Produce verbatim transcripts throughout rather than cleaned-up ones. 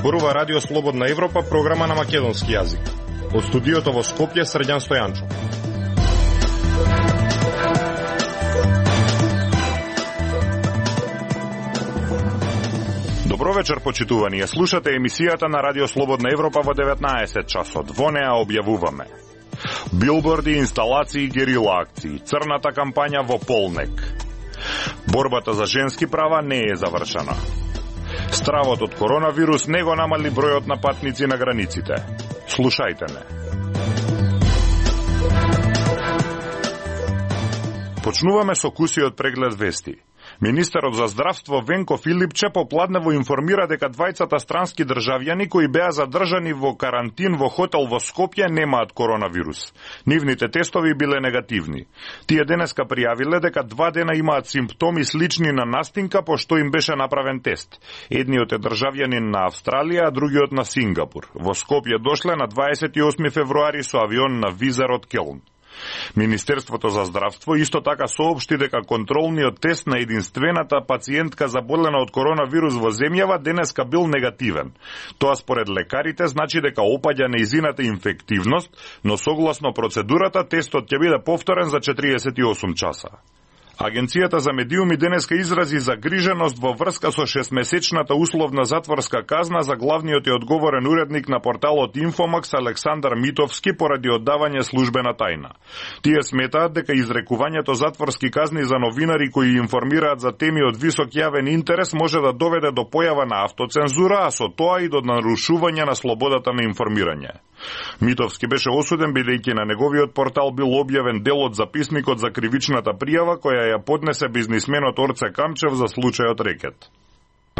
зборува Радио Слободна Европа, програма на македонски јазик. Од студиото во Скопје, Срđan Стојанчо. Добро вечер, почитувани. Слушате емисијата на Радио Слободна Европа во деветнаесет часот. Во неа објавуваме билборди, инсталации, герила акции, црната кампања во Полнек. Борбата за женски права не е завршена. Стравот од коронавирус не го намали бројот на патници на границите. Слушајте не. Почнуваме со кусиот преглед вести. Министерот за здравство Венко Филипче попладнево информира дека двајцата странски државјани кои беа задржани во карантин во хотел во Скопје немаат коронавирус. Нивните тестови биле негативни. Тие денеска пријавиле дека два дена имаат симптоми слични на настинка пошто им беше направен тест. Едниот е државјанин на Австралија, а другиот на Сингапур. Во Скопје дошле на дваесет и осми февруари со авион на Визар од Келн. Министерството за здравство исто така соопшти дека контролниот тест на единствената пациентка заболена од коронавирус во земјава денеска бил негативен. Тоа според лекарите значи дека опаѓа нејзината инфективност, но согласно процедурата тестот ќе биде повторен за четириесет и осум часа. Агенцијата за медиуми денеска изрази загриженост во врска со шестмесечната условна затворска казна за главниот и одговорен уредник на порталот Инфомакс Александар Митовски поради оддавање службена тајна. Тие сметаат дека изрекувањето затворски казни за новинари кои информираат за теми од висок јавен интерес може да доведе до појава на автоцензура, а со тоа и до нарушување на слободата на информирање. Митовски беше осуден бидејќи на неговиот портал бил објавен дел од записникот за кривичната пријава која ја поднесе бизнисменот Орце Камчев за случајот рекет.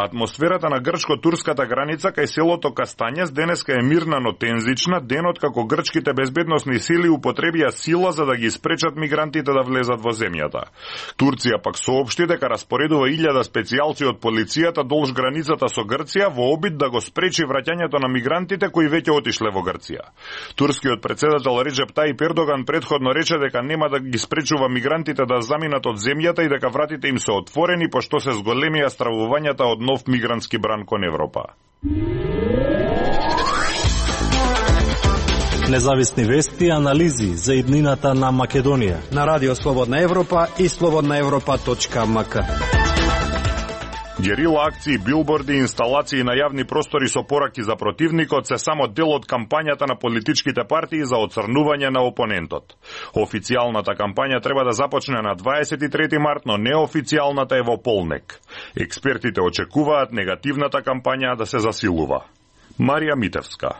Атмосферата на грчко-турската граница кај селото Кастанјес денеска е мирна, но тензична, денот како грчките безбедносни сили употребија сила за да ги спречат мигрантите да влезат во земјата. Турција пак соопшти дека распоредува илјада специјалци од полицијата долж границата со Грција во обид да го спречи враќањето на мигрантите кои веќе отишле во Грција. Турскиот председател Реджеп Тајип Ердоган претходно рече дека нема да ги спречува мигрантите да заминат од земјата и дека вратите им се отворени пошто се зголемија стравувањата од нов мигрантски бран кон Европа. Независни вести и анализи за иднината на Македонија на Радио Слободна Европа и слободна европа точка ем ка. Герила акции, билборди и инсталации на јавни простори со пораки за противникот се само дел од кампањата на политичките партии за оцрнување на опонентот. Официјалната кампања треба да започне на дваесет и трети март, но неофицијалната е во Полнек. Експертите очекуваат негативната кампања да се засилува. Марија Митевска.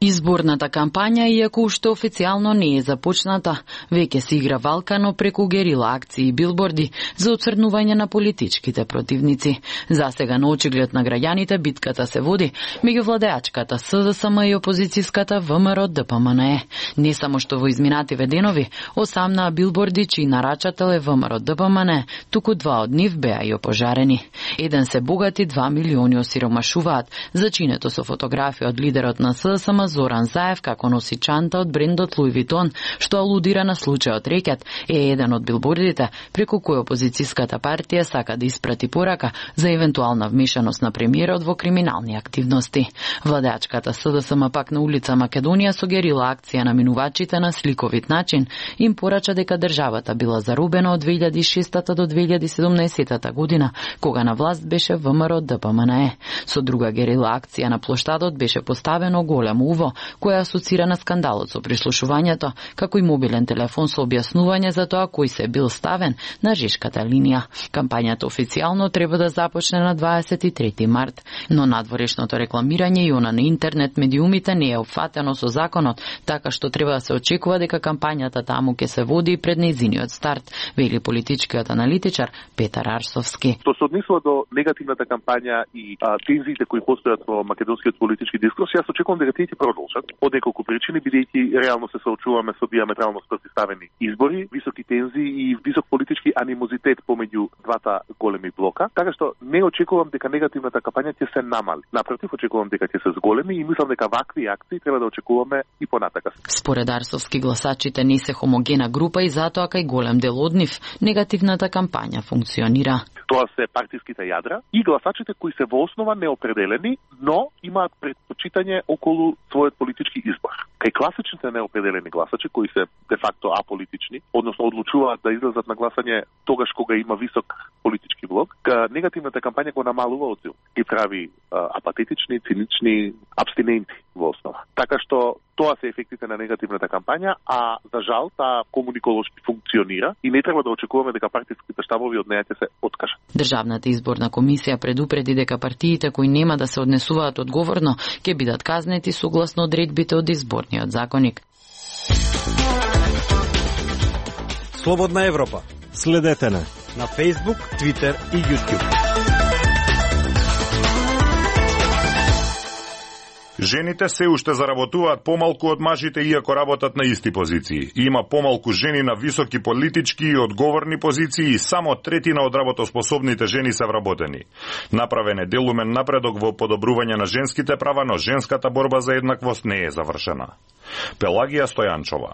Изборната кампања, иако уште официјално не е започната, веќе се игра валкано преку герила акции и билборди за оцрнување на политичките противници. Засега на очиглед на граѓаните битката се води меѓу владеачката С Д С М и опозицијската В М Р Д П М Н Е. Не само што во изминативе денови осамнаа билборди чиј нарачател е В М Р Д П М Н Е, туку два од нив беа и опожарени. Еден се богати, два милиони осиромашуваат, зачинето со фотографија од лидерот на С Д С М Зоран Заев како носи чанта од брендот Луи Витон, што алудира на случајот рекет, е еден од билбордите преку кој опозицијската партија сака да испрати порака за евентуална вмешаност на премиерот во криминални активности. Владеачката С Д С М пак на улица Македонија со герила акција на минувачите на сликовит начин им порача дека државата била зарубена од две илјади и шестата до две илјади и седумнаесетата година, кога на власт беше В М Р Д П М Н Е. Со друга герила акција на плоштадот беше поставено големо уво која асоцира на скандалот со прислушувањето, како и мобилен телефон со објаснување за тоа кој се бил ставен на жешката линија. Кампањата официјално треба да започне на дваесет и трети март, но надворешното рекламирање и она на интернет медиумите не е опфатено со законот, така што треба да се очекува дека кампањата таму ќе се води пред нејзиниот старт, вели политичкиот аналитичар Петар Арсовски. Што се однесува до негативната кампања и а, тензиите кои постојат во македонскиот политички дискурс, јас очекувам дека тие ќе продолжат од неколку причини, бидејќи реално се соочуваме со диаметрално спротивставени избори, високи тензии и висок политички анимозитет помеѓу двата големи блока, така што не очекувам дека негативната кампања ќе се намали. Напротив, очекувам дека ќе се зголеми и мислам дека вакви акции треба да очекуваме и понатака. Според Арсовски, гласачите не се хомогена група и затоа кај голем дел од нив негативната кампања функционира. Тоа се партиските јадра и гласачите кои се во основа неопределени, но имаат предпочитање околу својот политички избор. Кај класичните неопределени гласачи кои се де факто аполитични, односно одлучуваат да излезат на гласање тогаш кога има висок политички блок, негативната кампања го намалува одзив, ги прави а, апатетични, цинични, абстиненти во основа. Така што тоа се ефектите на негативната кампања, а за жал таа комуниколошки функционира и не треба да очекуваме дека партиските штабови од неја ќе се откажат. Државната изборна комисија предупреди дека партиите кои нема да се однесуваат одговорно ќе бидат казнети согласно одредбите од изборниот законник. Слободна Европа. Следете на на Facebook, Twitter и YouTube. Жените се уште заработуваат помалку од мажите иако работат на исти позиции. Има помалку жени на високи политички и одговорни позиции и само третина од работоспособните жени се вработени. Направен е делумен напредок во подобрување на женските права, но женската борба за еднаквост не е завршена. Пелагија Стојанчова.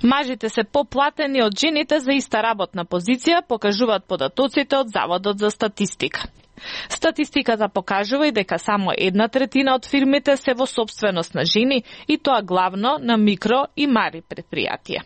Мажите се поплатени од жените за иста работна позиција, покажуваат податоците од Заводот за статистика. Статистиката покажува и дека само една третина од фирмите се во сопственост на жени и тоа главно на микро и мали предпријатија.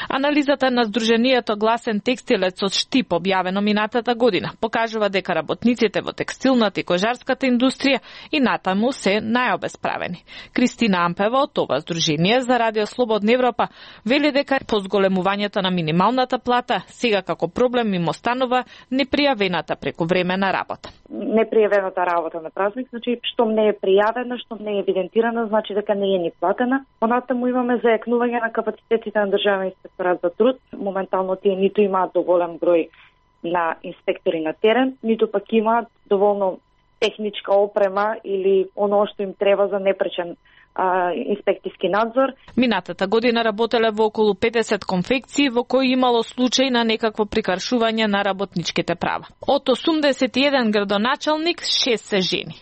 Анализата на Сдруженијето Гласен текстилец од Штип, објавено минатата година, покажува дека работниците во текстилната и кожарската индустрија и натаму се најобесправени. Кристина Ампева од ова Сдружение за Радио Слободна Европа вели дека по зголемувањето на минималната плата сега како проблем им останува непријавената прековремена работа. Непријавената работа на празник, значи што не е пријавена, што не е евидентирана, значи дека не е ни платена. Понатаму имаме зајакнување на капацитетите на државен инспекторат за труд. Моментално тие ниту имаат доволен број на инспектори на терен, ниту пак имаат доволно техничка опрема или оно што им треба за непречен а, инспектиски надзор. Минатата година работеле во околу педесет конфекции во кои имало случај на некакво прикаршување на работничките права. Од осумдесет и еден градоначалник, шест се жени.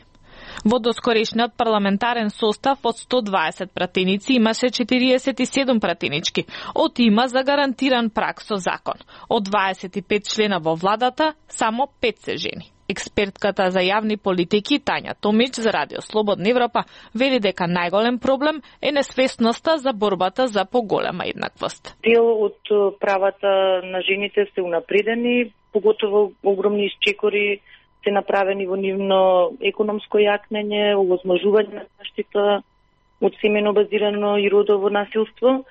Во доскорешниот парламентарен состав од сто дваесет пратеници имаше четириесет и седум пратенички, од има за гарантиран прак со закон. Од дваесет и пет члена во владата, само пет се жени. Експертката за јавни политики Тања Томич за Радио Слободна Европа вели дека најголем проблем е несвесноста за борбата за поголема еднаквост. Дел од правата на жените се унапредени, поготово огромни исчекори се направени во нивно економско јакнење, овозможување на заштита од семено базирано и родово насилство.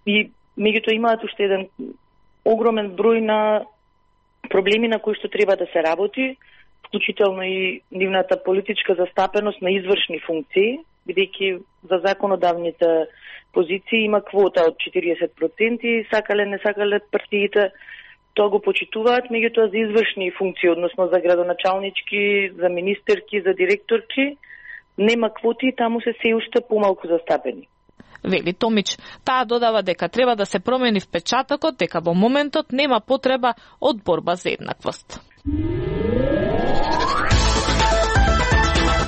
И меѓутоа имаат уште еден огромен број на проблеми на кои што треба да се работи, вклучително и нивната политичка застапеност на извршни функции, бидејќи за законодавните позиции има квота од четириесет проценти, сакале не сакале партиите, тоа го почитуваат, меѓутоа за извршни функции, односно за градоначалнички, за министерки, за директорки, нема квоти, таму се се уште помалку застапени. Вели Томич, таа додава дека треба да се промени впечатокот, дека во моментот нема потреба од борба за еднаквост.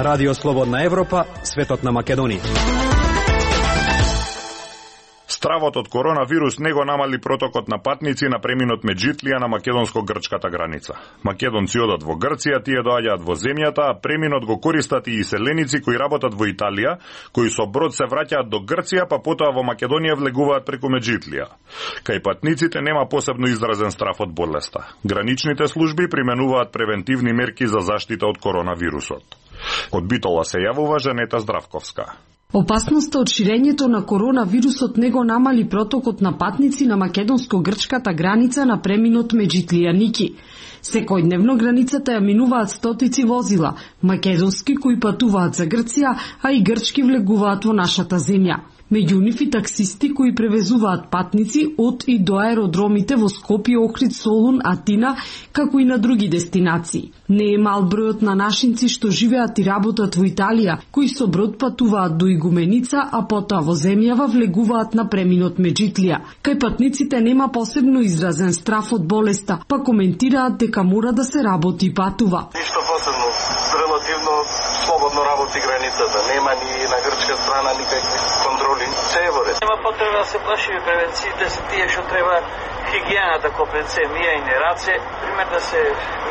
Радио Слободна Европа, светот на Македонија. Стравот од коронавирус не го намали протокот на патници на преминот Меджитлија на македонско-грчката граница. Македонци одат во Грција, тие доаѓаат во земјата, а преминот го користат и иселеници кои работат во Италија, кои со брод се враќаат до Грција, па потоа во Македонија влегуваат преку Меджитлија. Кај патниците нема посебно изразен страф од болеста. Граничните служби применуваат превентивни мерки за заштита од коронавирусот. Од Битола се јавува Жанета Здравковска. Опасноста од ширењето на коронавирусот не го намали протокот на патници на македонско-грчката граница на преминот Меджитлија-Ники. Секојдневно границата ја минуваат стотици возила, македонски кои патуваат за Грција, а и грчки влегуваат во нашата земја. Меѓу нив и таксисти кои превезуваат патници од и до аеродромите во Скопје, Охрид, Солун, Атина, како и на други дестинации. Не е мал бројот на нашинци што живеат и работат во Италија, кои со брод патуваат до Игуменица, а потоа во земјава влегуваат на преминот Меджитлија. Кај патниците нема посебно изразен страф од болеста, па коментираат дека мора да се работи и патува. Ништо посебно, релативно слободно работи границата, нема ни на грчка страна никакви контроли. Се е во ред. Нема потреба да се плашиме, превенциите се тие што треба хигиената ко пенце, мијање раце, пример да се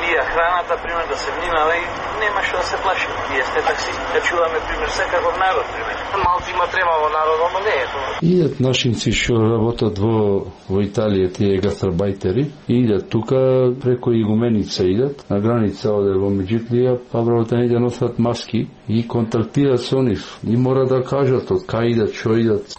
мија храната, пример да се внимава и нема што да се плаши. Ние сте такси, да чуваме пример секаков народ, пример. Малци има трема во народот, но не е тоа. Идат нашинци што работат во во Италија, тие гастарбајтери, идат тука преку игуменица идат, на граница оде во Меѓутлија, па вработените носат маски и контактираат со нив. И мора да кажат од кај идат, што идат.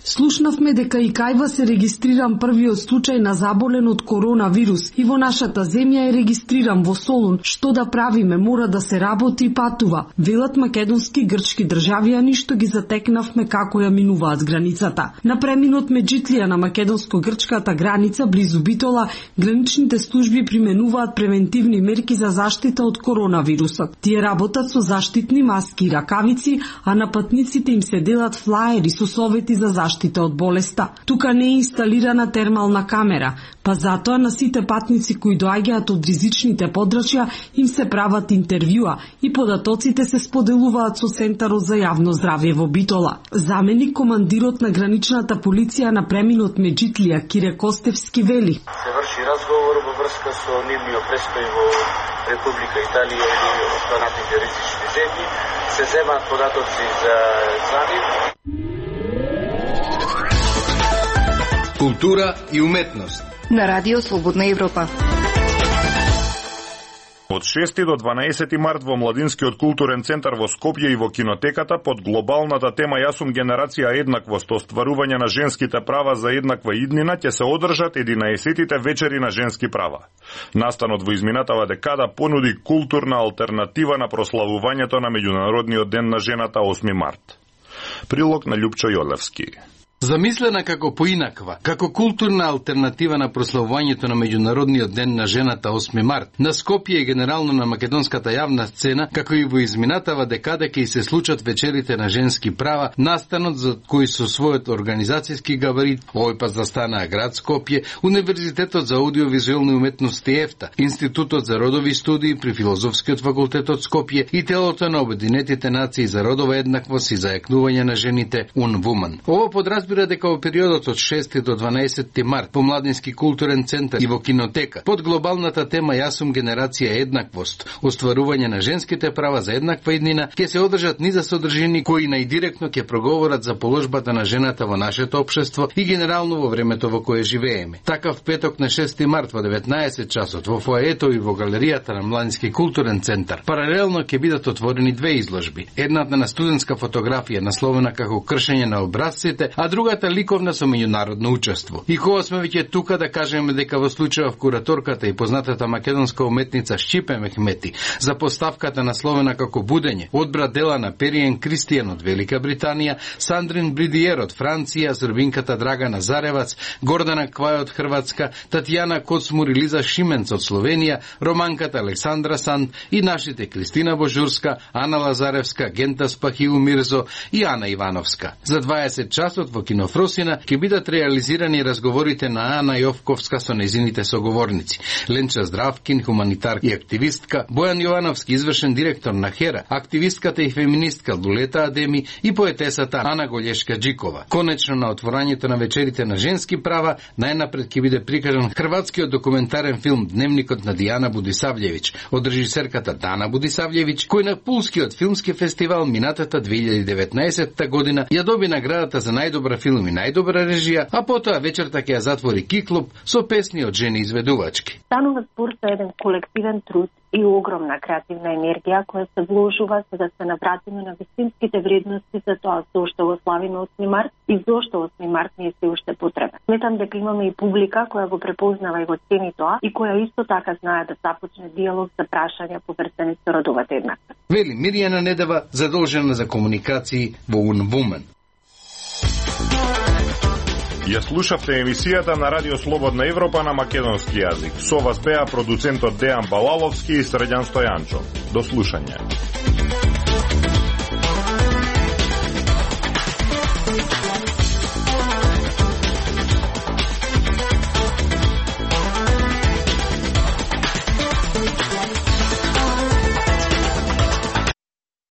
Слушнавме дека и кај вас е регистриран првиот случај на заболен од коронавирус и во нашата земја е регистриран во Солун. Што да правиме, мора да се работи и патува. Велат македонски грчки државјани што ги затекнавме како ја минуваат границата. На преминот Меѓутлија на македонско-грчката граница близу Битола, граничните служби применуваат превентивни мерки за заштита од коронавирусот. Тие работат со заштитни маски и ракавици, а на патниците им се делат флаери со совети за заштита од болеста. Тука не е инсталирана термална камера, па затоа на сите патници кои доаѓаат од ризичните подрачја им се прават интервјуа и податоците се споделуваат со Центарот за јавно здравје во Битола. Заменик командирот на граничната полиција на преминот Меѓутлија Кире Костевски вели: се врши разговор во врска со нивниот престој во Република Италија или останатите ризични земји, се земаат податоци за за нив. Култура и уметност на Радио Слободна Европа. Од шести до дванаесети март во Младинскиот културен центар во Скопје и во кинотеката под глобалната тема Јас сум генерација еднаквост, остварување на женските права за еднаква иднина, ќе се одржат единаесеттите вечери на женски права. Настанот во изминатава декада понуди културна алтернатива на прославувањето на Меѓународниот ден на жената осми март. Прилог на Љупчо Јолевски. Замислена како поинаква, како културна алтернатива на прославувањето на Меѓународниот ден на жената осми март, на Скопје и генерално на македонската јавна сцена, како и во изминатава декада ќе се случат вечерите на женски права, настанот за кој со својот организацијски габарит, овој пат застанаа град Скопје, Универзитетот за аудиовизуелни уметности ЕФТА, Институтот за родови студии при Филозофскиот факултет од Скопје и телото на Обединетите нации за родова еднаквост и зајакнување на жените Унвуман. Ова подразбира дека во периодот од шести до дванаесети март по Младински културен центар и во кинотека под глобалната тема Јас сум генерација еднаквост, остварување на женските права за еднаква иднина, ќе се одржат низа содржини кои најдиректно ќе проговорат за положбата на жената во нашето општество и генерално во времето во кое живееме. Такав петок на шести март во деветнаесет часот во фоаето и во галеријата на Младински културен центар паралелно ќе бидат отворени две изложби. Едната на студентска фотографија насловена како кршење на образците, а другата ликовна со меѓународно учество. И кога сме веќе тука да кажеме дека во случајов кураторката и познатата македонска уметница Шчипе Мехмети за поставката насловена како Будење одбра дела на Периен Кристијан од Велика Британија, Сандрин Бридиер од Франција, србинката Драгана Заревац, Гордана Квај од Хрватска, Татјана Коцмур и Лиза Шименц од Словенија, романката Александра Санд и нашите Кристина Божурска, Ана Лазаревска, Гента Спахиу Мирзо и Ана Ивановска. За дваесет часот во Кинофросина ќе бидат реализирани разговорите на Ана Јовковска со незините соговорници. Ленча Здравкин, хуманитар и активистка, Бојан Јовановски, извршен директор на Хера, активистката и феминистка Лулета Адеми и поетесата Ана Голешка Джикова. Конечно на отворањето на вечерите на женски права најнапред ќе биде прикажан хрватскиот документарен филм Дневникот на Дијана Будисављевиќ од режисерката Дана Будисављевиќ, кој на Пулскиот филмски фестивал минатата две илјади и деветнаесетта година ја доби наградата за најдобра филм и најдобра режија, а потоа вечерта ќе ја затвори Киклуб со песни од жени изведувачки. Станува збор за еден колективен труд и огромна креативна енергија која се вложува за да се навратиме на вистинските вредности за тоа зошто го славиме осми март и зошто осми март не е се уште потребен. Сметам дека имаме и публика која го препознава и го цени тоа и која исто така знае да започне диалог за прашања поврзани со родовата еднаквост. Вели Мирјана Недева, задолжена за комуникации во Унвумен. Ја слушавте емисијата на Радио Слободна Европа на македонски јазик. Со вас беа продуцентот Дејан Балаловски и Срđan Стојанчо. До слушање.